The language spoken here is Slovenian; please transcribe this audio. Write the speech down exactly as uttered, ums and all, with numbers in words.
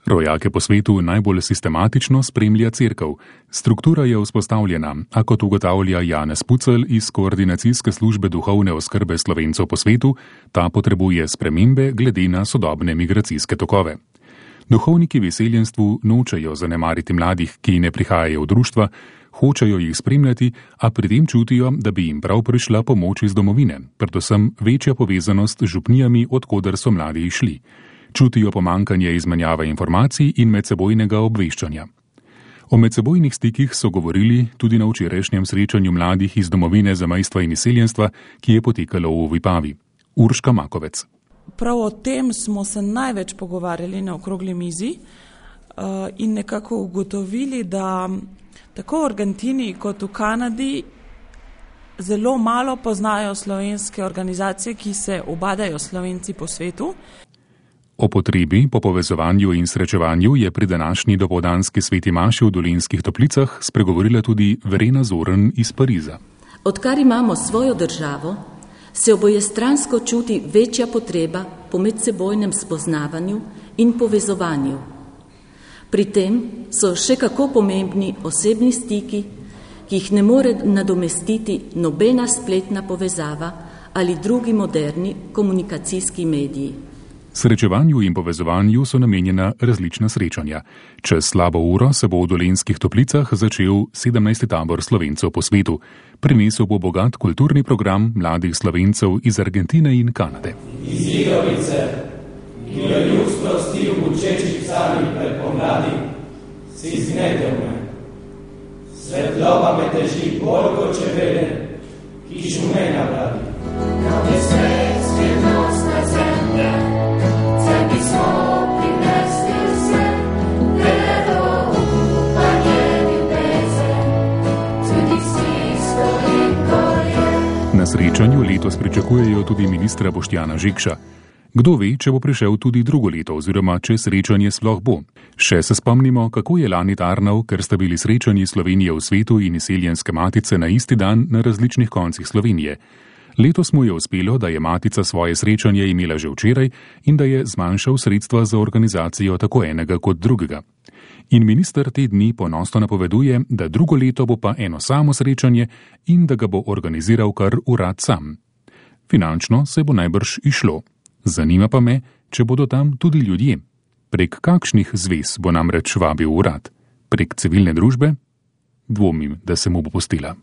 Rojake po svetu najbolj sistematično spremlja Cerkev. Struktura je vzpostavljena, a kot ugotavlja Janez Pucelj iz Koordinacijske službe duhovne oskrbe Slovencev po svetu, ta potrebuje spremembe glede na sodobne migracijske tokove. Duhovniki v izseljenstvu nočejo zanemariti mladih, ki ne prihajajo v društva, hočejo jih spremljati, a pri tem čutijo, da bi jim prav prišla pomoč iz domovine, predvsem večja povezanost z župnijami, odkoder so mladi išli. Čutijo pomankanje izmenjave informacij in medsebojnega obveščanja. O medsebojnih stikih so govorili tudi na včerajšnjem srečanju mladih iz domovine zamejstva in izseljenstva, ki je potekalo v Vipavi. Urška Makovec. Prav o tem smo se največ pogovarjali na okrogli mizi in nekako ugotovili, da tako v Argentini kot v Kanadi zelo malo poznajo slovenske organizacije, ki se ubadajo Slovenci po svetu. O potrebi po povezovanju in srečevanju je pri današnji dopoldanski sveti maši v Dolenjskih Toplicah spregovorila tudi Verena Zorn iz Pariza. Odkar imamo svojo državo, se obojestransko čuti večja potreba po medsebojnem spoznavanju in povezovanju. Pri tem so še kako pomembni osebni stiki, ki jih ne more nadomestiti nobena spletna povezava ali drugi moderni komunikacijski mediji. Srečevanju in povezovanju so namenjena različna srečanja. Čez slabo uro se bo v Dolenjskih Toplicah začel sedemnajsti tabor Slovencev po svetu. Prinesel bo bogat kulturni program mladih Slovencev iz Argentine in Kanade. Iz Igovice, ki jo ljudstvo sti v bučečih psalmih pred pomladi, si zgnetel me. Svetloba me teži bolj kot čebele, ki šume na vladi. Kao je svet skrivnostna zemlja, sebi smo prinesli vse, vedo upanje in pece, tudi stisko in koje. Na srečanju letos pričakujejo tudi ministra Boštjana Žekša. Kdo ve, če bo prišel tudi drugo leto oziroma če srečanje sploh bo. Še se spomnimo, kako je lani tarnal, ker sta bili srečanji Slovenije v svetu in izseljenske matice na isti dan na različnih koncih Slovenije. Letos mu je uspelo, da je matica svoje srečanje imela že včeraj in da je zmanjšal sredstva za organizacijo tako enega kot drugega. In minister te dni ponosno napoveduje, da drugo leto bo pa eno samo srečanje in da ga bo organiziral kar urad sam. Finančno se bo najbrž išlo. Zanima pa me, če bodo tam tudi ljudje. Prek kakšnih zvez bo namreč vabil urad? Prek civilne družbe? Dvomim, da se mu bo pustila.